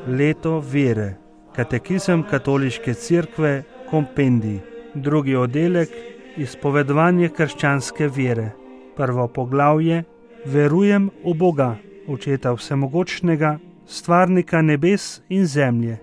Leto vere. Katekizem Katoliške cerkve, kompendij. Drugi oddelek, izpovedovanje krščanske vere. Prvo poglavje, verujem v Boga, Očeta vsemogočnega, stvarnika nebes in zemlje.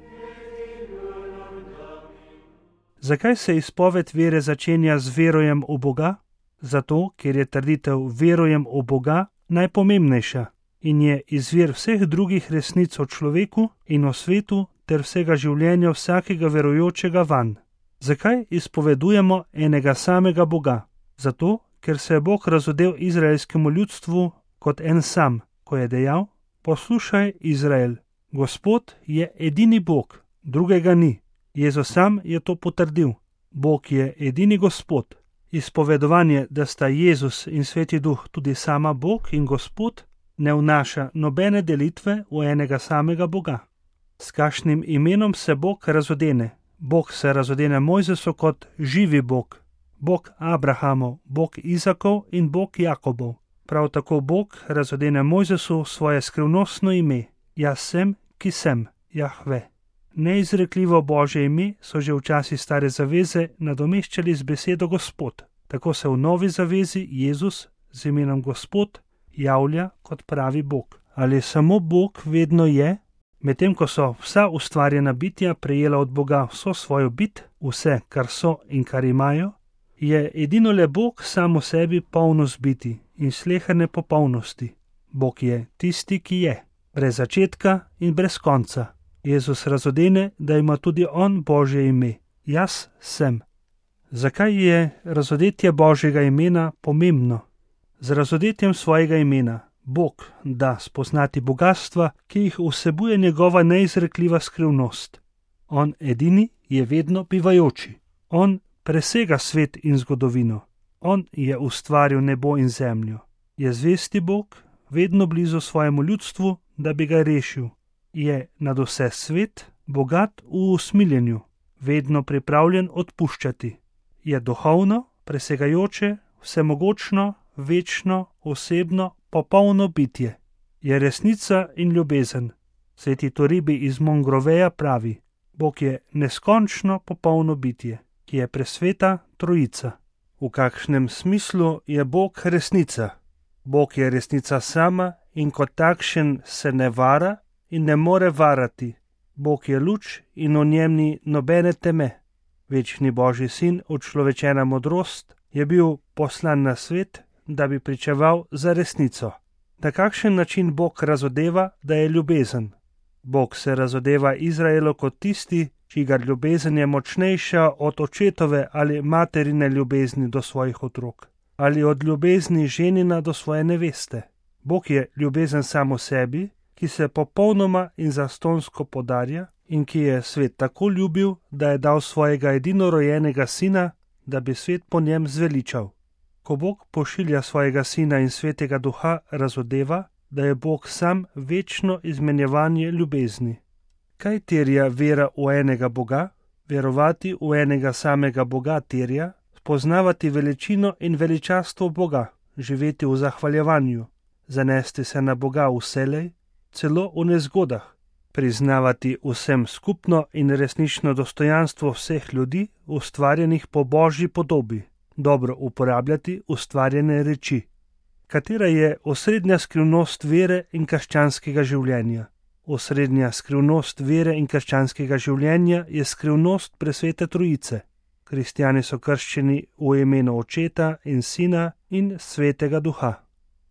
Zakaj se izpoved vere začenja z verujem v Boga? Zato, ker je trditev verujem v Boga najpomembnejša in je izvir vseh drugih resnic o človeku in o svetu ter vsega življenja vsakega verujočega vanj. Zakaj izpovedujemo enega samega Boga? Zato, ker se je Bog razodel izraelskemu ljudstvu kot en sam, ko je dejal: poslušaj, Izrael, Gospod je edini Bog, drugega ni. Jezus sam je to potrdil. Bog je edini Gospod. Izpovedovanje, da sta Jezus in Sveti Duh tudi sama Bog in Gospod, ne vnaša nobene delitve v enega samega Boga. S kakšnim imenom se Bog razodene? Bog se razodene Mojzesu kot živi Bog, Bog Abrahamov, Bog Izakov in Bog Jakobov. Prav tako Bog razodene Mojzesu svoje skrivnostno ime: Jaz sem, ki sem, Jahve. Neizrekljivo Božje ime so že v časih stare zaveze nadomeščali z besedo Gospod. Tako se v novi zavezi Jezus z imenom Gospod javlja kot pravi Bog. Ali samo Bog vedno je? Medtem ko so vsa ustvarjena bitja prejela od Boga vso svojo bit, vse, kar so in kar imajo, je edino le Bog sam v sebi polnost biti in sleherne popolnosti. Bog je tisti, ki je, brez začetka in brez konca. Jezus razodene, da ima tudi on Božje ime: Jaz sem. Zakaj je razodetje Božjega imena pomembno? Z razodetjem svojega imena Bog da spoznati bogastva, ki jih vsebuje njegova neizrekljiva skrivnost. On edini je vedno bivajoči. On presega svet in zgodovino. On je ustvaril nebo in zemljo. Je zvesti Bog, vedno blizu svojemu ljudstvu, da bi ga rešil. Je nad vse svet, bogat v usmiljenju, vedno pripravljen odpuščati. Je duhovno, presegajoče, vsemogočno, večno, osebno, popolno bitje. Je resnica in ljubezen. Sveti Toribi iz Mongroveja pravi: Bog je neskončno popolno bitje, ki je presveta trojica. V kakšnem smislu je Bog resnica? Bog je resnica sama in kot takšen se ne vara in ne more varati. Bog je luč in v njem ni nobene teme. Večni Božji sin, učlovečena modrost, je bil poslan na svet, da bi pričeval za resnico. Na kakšen način Bog razodeva, da je ljubezen? Bog se razodeva Izraelu kot tisti, čigar ljubezen je močnejša od očetove ali materine ljubezni do svojih otrok, ali od ljubezni ženina do svoje neveste. Bog je ljubezen samo sebi, ki se popolnoma in zastonsko podarja in ki je svet tako ljubil, da je dal svojega edinorojenega sina, da bi svet po njem zveličal. Ko Bog pošilja svojega sina in svetega duha, razodeva, da je Bog sam večno izmenjevanje ljubezni. Kaj terja vera v enega Boga? Verovati v enega samega Boga terja spoznavati veličino in veličastvo Boga, živeti v zahvaljevanju, zanesti se na Boga vselej, celo v nezgodah, priznavati vsem skupno in resnično dostojanstvo vseh ljudi, ustvarjenih po Božji podobi, dobro uporabljati ustvarjene reči. Katera je osrednja skrivnost vere in krščanskega življenja? Osrednja skrivnost vere in krščanskega življenja je skrivnost presvete trojice. Kristjani so krščeni v imenu Očeta in Sina in Svetega Duha.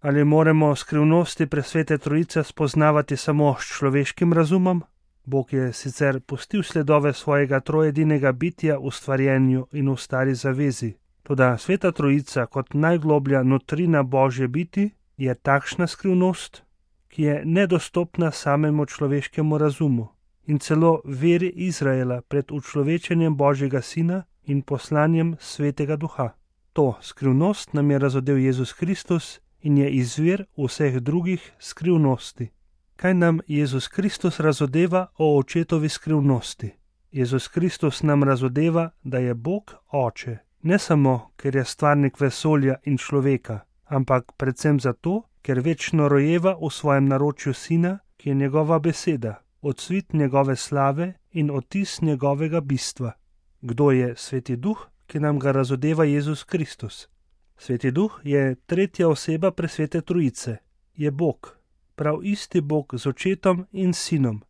Ali moramo skrivnosti presvete trojice spoznavati samo s človeškim razumom? Bog je sicer pustil sledove svojega trojedinega bitja v stvarjenju in v stari zavezi, toda sveta trojica kot najgloblja notrina Božje biti je takšna skrivnost, ki je nedostopna samemu človeškemu razumu in celo veri Izraela pred učlovečenjem Božjega Sina in poslanjem Svetega Duha. To skrivnost nam je razodel Jezus Kristus in je izvir vseh drugih skrivnosti. Kaj nam Jezus Kristus razodeva o Očetovi skrivnosti? Jezus Kristus nam razodeva, da je Bog Oče, ne samo, ker je stvarnik vesolja in človeka, ampak predvsem zato, ker večno rojeva v svojem naročju Sina, ki je njegova beseda, odsvit njegove slave in odtis njegovega bistva. Kdo je Sveti Duh, ki nam ga razodeva Jezus Kristus? Sveti Duh je tretja oseba presvete Trojice. Je Bog, prav isti Bog z Očetom in Sinom.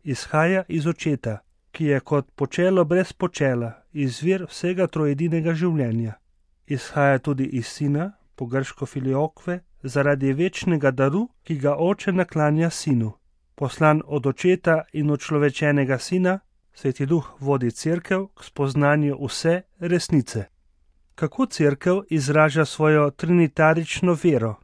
Izhaja iz Očeta, ki je kot počelo brez počela, izvir vsega trojedinega življenja. Izhaja tudi iz Sina, po grško filiokve, zaradi večnega daru, ki ga Oče naklanja Sinu. Poslan od Očeta in učlovečenega Sina, Sveti Duh vodi Cerkev k spoznanju vse resnice. Kako Cerkev izraža svojo trinitarično vero?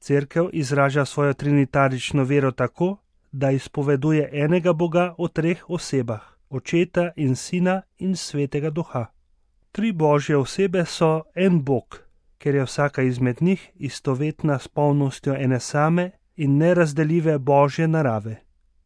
Cerkev izraža svojo trinitarično vero tako, da izpoveduje enega Boga v treh osebah, Očeta in Sina in Svetega Duha. Tri Božje osebe so en Bog, ker je vsaka izmed njih istovetna s polnostjo ene same in nerazdeljive Božje narave.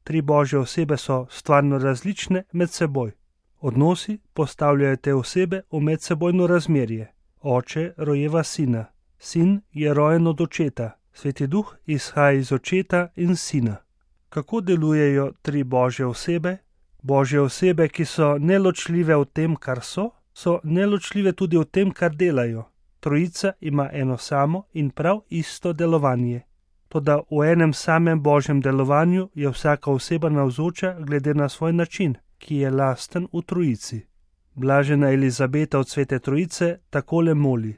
Tri Božje osebe so stvarno različne med seboj. Odnosi postavljajo te osebe v medsebojno razmerje. Oče rojeva Sina, Sin je rojen od Očeta, Sveti Duh izhaja iz Očeta in Sina. Kako delujejo tri Božje osebe? Božje osebe, ki so neločljive v tem, kar so neločljive tudi v tem, kar delajo. Trojica ima eno samo in prav isto delovanje. Toda v enem samem Božjem delovanju je vsaka oseba navzoča glede na svoj način, ki je lasten v Trojici. Blažena Elizabeta od Svete Trojice takole moli: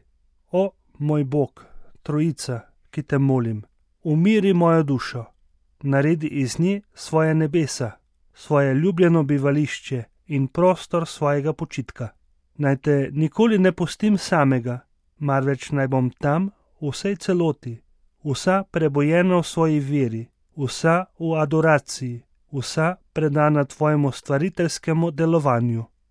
O, moj Bog, Trojica, ki te molim, umiri mojo dušo, naredi iz nje svoje nebesa, svoje ljubljeno bivališče in prostor svojega počitka. Naj te nikoli ne pustim samega, marveč naj bom tam v vsej celoti, vsa prebojena v svoji veri, vsa v adoraciji, vsa predana tvojemu stvariteljskemu delovanju.